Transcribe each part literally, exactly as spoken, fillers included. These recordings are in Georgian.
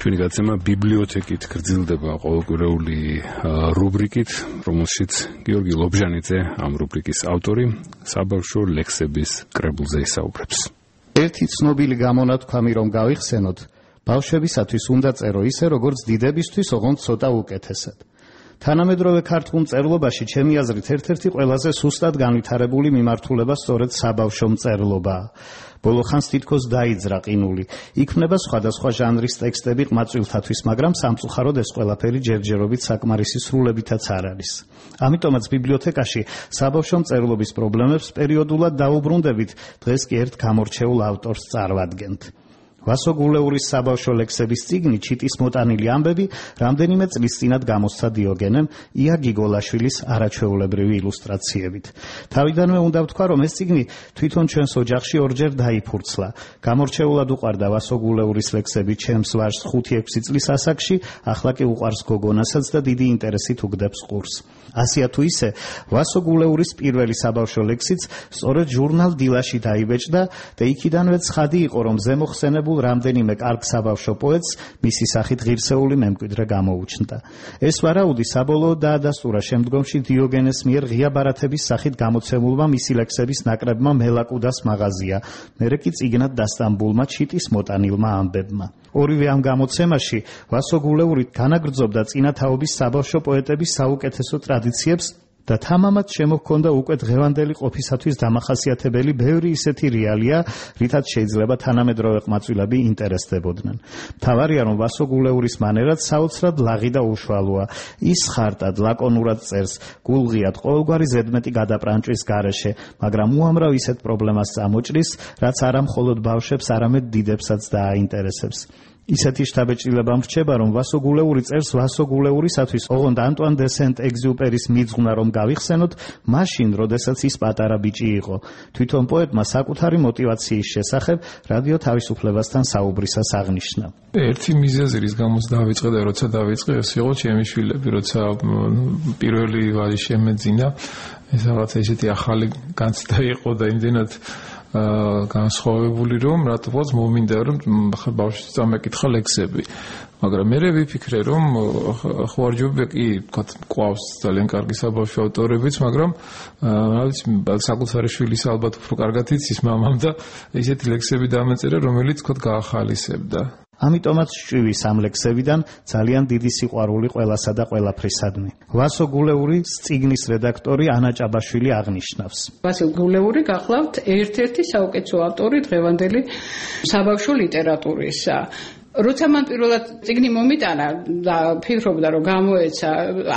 ჩვენი გაცემა ბიბლიოთეკით გრძელდება ყოველკვირეული რუბრიკით, რომელშიც გიორგი ლობჟანიძე, ამ რუბრიკის ავტორი, საბავშვო ლექსების კრებულზე ისაუბრებს. ერთი ცნობილი გამონათქვამი რომ გავიხსენოთ, ბავშვებისათვის უნდა წერო ისე, როგორც დიდებისთვის, ოღონდ ცოტა უკეთესად. თანამედროვე ქართულ მწერლობაში ჩემი აზრით ერთ-ერთი ყველაზე სუსტად განვითარებული მიმართულება სწორედ საბავშვო მწერლობაა. ბოლო ხანს თითქოს დაიძრა ყინული. იქმნება სხვადასხვა ჟანრის ტექსტები ყმაწვილთათვის, მაგრამ სამწუხაროდ ეს ყველაფერი ჯერჯერობით საკმარისი სრულებითაც არ არის. ამიტომაც ბიბლიოთეკაში საბავშვო მწერლობის პრობლემებს პერიოდულად დაუბრუნდებით, დღეს კი ერთ გამორჩეულ ავტორს წარვადგენთ. ვასო გულეურის საბავშვო ლექსების წიგნი ჩიტის მოტანილი ამბები რამდენიმე წლის წინათ გამოსცა დიოგენემ ია გიგოლაშვილის არაჩვეულებრივი ილუსტრაციებით. თავიდანვე უნდა ვთქვა, რომ ეს წიგნი თვითონ ჩვენს ოჯახში ორჯერ დაიფურცლა. გამორჩეულად უყვარდა ვასო გულეურის ლექსები ჩემს ვაჟს ხუთი-ექვსი წლის ასაკში, ახლა კი უყვარს გოგონასაც და დიდი ინტერესით უგდებს ყურს. ასია თუ ისე, ვასო გულეურის პირველი საბავშვო ლექსიც სწორედ ჟურნალ დილაში დაიბეჭდა და იქიდანვე ცხადი იყო, რომ ზემოხსენებულ რამდენიმე კარგ საბავშვო პოეტს მისი სახით ღირსეული მემკვიდრე გამოუჩნდა. ეს ვარაუდი საბოლოოდ დაადასტურა შემდგომში დიოგენეს მიერ ღია ბარათების სახით გამოცემულმა მისი ლექსების ნაკრებმა მელაკუდას მაღაზია, მერე კი წიგნად დასტამბულმა ჩიტის მოტანილმა ამბებმა. ორივე ამ გამოცემაში ვასო გულეური განაგრძობდა წინათაობის საბავშვო პოეტების საუკეთესო ტრადიციებს და თამამად შემოჰქონდა უკვე დღევანდელი ყოფისათვის დამახასიათებელი ბევრი ისეთი რეალია, რითაც შეიძლება თანამედროვე ყმაწვილები ინტერესდებოდნენ. მთავარია, რომ ვასო გულეურის მანერად საოცრად ლაღი და უშუალოა. ის ხარტად, ლაკონურად წერს, გულღიად, ყოველგვარი ზედმეტი გადაპრანჭვის გარეშე, მაგრამ უამრავ ისეთ პრობლემას წამოჭრის, რაც არა მხოლოდ ბავშვებს, არამედ დიდებსაც დააინტერესებს. ისეთი შთაბეჭდილება მრჩება, რომ ვასო გულეური წერს ვასო გულეურისათვის, ოღონდ ანტუან დე სენტ-ეგზიუპერის მიძღვნა რომ გავიხსენოთ, მაშინ, როდესაც ის პატარა ბიჭი იყო. თვითონ პოეტმა საკუთარი მოტივაციის შესახებ რადიო თავისუფლებასთან საუბრისას აღნიშნა. ერთი მიზეზი, რის გამოც დავიწყე და როცა დავიწყე, ეს იყო ჩემი შვილები, როცა პირველი ვაჟი შემეძინა, ეს რაღაცა ისეთი ახალი განცდა იყო და იმდენად განსხვავებული, რომ რატომაც მომინდა, რომ ბავშვს წამეკითხა ლექსები. მაგრამ მე ვიფიქრე, რომ ხوارჯობია კი, თქვა, ყავს ძალიან კარგი საბავშვო ავტორებიც, მაგრამ რა ვიცი, საკუთარი შვილის ალბათ უფრო კარგად იცის მამამ და ისეთი ლექსები დამეწერა, რომელიც თქვა გაახალისებდა. ამიტომაც ჭვივის ამ ლექსებიდან ძალიან დიდი სიყვარული ყველასა და ყველაფრისადმი. ვასო გულეურის წიგნის რედაქტორი ანა ჭაბაშვილი აღნიშნავს. ვასო გულეური გახლავთ ერთ-ერთი საუკეთესო ავტორი დღევანდელი საბავშვო ლიტერატურისა. როცა მან პირველად წიგნი მომიტანა და ფიქრობდა, რომ გამოეცა,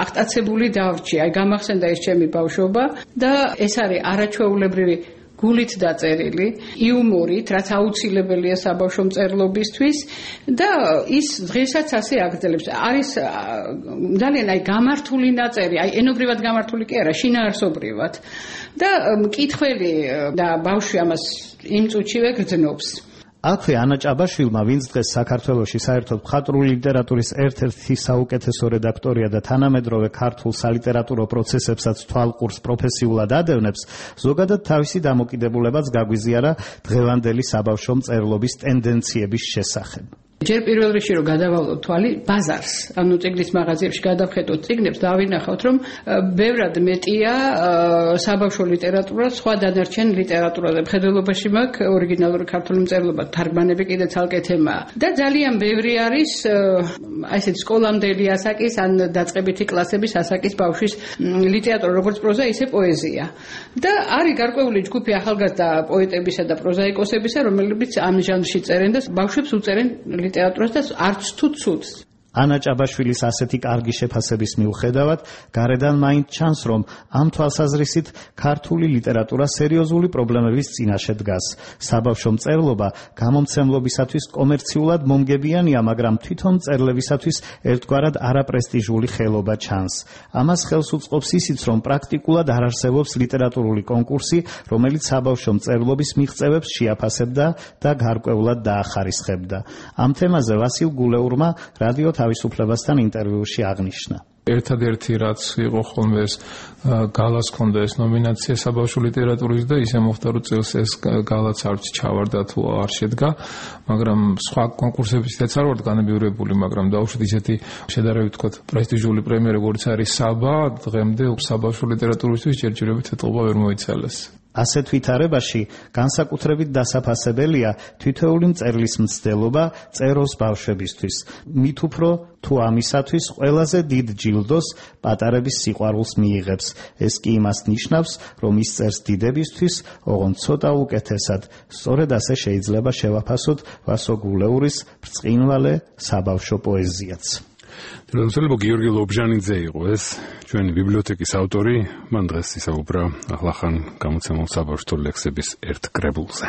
აღტაცებული დავრჩი, აი გამახსენდა ეს ჩემი ბავშვობა და ეს არის არაჩვეულებრივი გულით დაწერილი, იუმორით, რაც აუცილებელია საბავშვო მწერლობისთვის და ის დღესაც ასე აგრძელებს. არის ძალიან აი გამართული ნაწერი, აი ენობრივად გამართული კი არა, შინაარსობრივად. და მკითხველი და ბავშვი ამას იმ წუთშივე გრძნობს. აქვე ანა ჭაბაშვილმა, ვინც დღეს საქართველოში საერთოდ მხატვრული ლიტერატურის ერთ-ერთი საუკეთესო რედაქტორია და თანამედროვე ქართულ სალიტერატურო პროცესებსაც თვალყურს პროფესიულად ადევნებს, ზოგადად თავისი დამოკიდებულებაც გაგვიზიარა დღევანდელი საბავშვო მწერლობის ტენდენციების შესახებ. ჯერ პირველ რიგში რომ გადავალოთ თვალი ბაზარს, ანუ წიგნის მაღაზიებში გადავხედოთ წიგნებს, დავინახავთ, რომ ბევრად მეტია საბავშვო ლიტერატურა სხვა დანარჩენ ლიტერატურაზე. მხედველობაში მაქვს ორიგინალური ქართული მწერლობა, თარგმანები კიდე ცალკე თემაა. და ძალიან ბევრი არის აი ესეთი სკოლამდელი ასაკის ან დაწყებითი კლასების ასაკის ბავშვის ლიტერატურა, როგორც პროზა, ისე პოეზია. და არის გარკვეული ჯგუფი ახალგაზრდა პოეტებისა და პროზაიკოსებისა, რომლებიც ამ ჟანრში წერენ და ბავშვებს უწერენ ლიტერატურას და არც თუ ცუდს. ანა ჭაბაშვილის ასეთი კარგი შეფასების მიუხედავად, გარედან მაინც ჩანს, რომ ამ თვალსაზრისით ქართული ლიტერატურა სერიოზული პრობლემების წინაშე დგას. საბავშვო მწერლობა გამომცემლობისათვის კომერციულად მომგებიანია, მაგრამ თვითონ მწერლებისათვის ერთგვარად არაპრესტიჟული ხელობა ჩანს. ამას ხელს უწყობს ისიც, რომ პრაქტიკულად არ არსებობს ლიტერატურული კონკურსი, რომელიც საბავშვო მწერლობის მიღწევებს შეაფასებდა და გარკვეულად დაახარისხებდა. ამ თემაზე ვასილ გულეურმა რადიო თავისუფლებასთან ინტერვიუში აღნიშნა. ერთადერთი რაც იყო ხოლმე ეს გალას ქონდა ეს ნომინაცია საბავშვო ლიტერატურის და ისე მოხდა რომ წელს ეს გალაც არც ჩავარდა თუ არ შედგა, მაგრამ სხვა კონკურსებისთაც არ ვართ განებივრებული, მაგრამ დავუშვით ისეთი შედარებით ვთქვათ პრესტიჟული პრემია როგორც არის საბა, დღემდე საბავშვო ლიტერატურისთვის ჯერჯერობით ეთყობა ვერ მოიცალეს. ასეთ ვითარებაში განსაკუთრებით დასაფასებელია თითოეული მწერლის მცდელობა წეროს ბავშვებისთვის. მით უფრო თუ ამისათვის ყველაზე დიდ ჯილდოს პატარების სიყვარულს მიიღებს. ეს კი იმას ნიშნავს, რომ ის წერს დიდებისთვის, ოღონდ ცოტა უკეთესად. სწორედ ასე შეიძლება შევაფასოთ ვასო გულეურის ბრწყინვალე საბავშვო პოეზიაც. თუმცა გიორგი ლობჟანიძე იყო ეს ჩვენი ბიბლიოთეკის ავტორი, მან დღეს ისაუბრა ახლახან გამოცემულ საბავშვო ლექსების ერთ კრებულზე.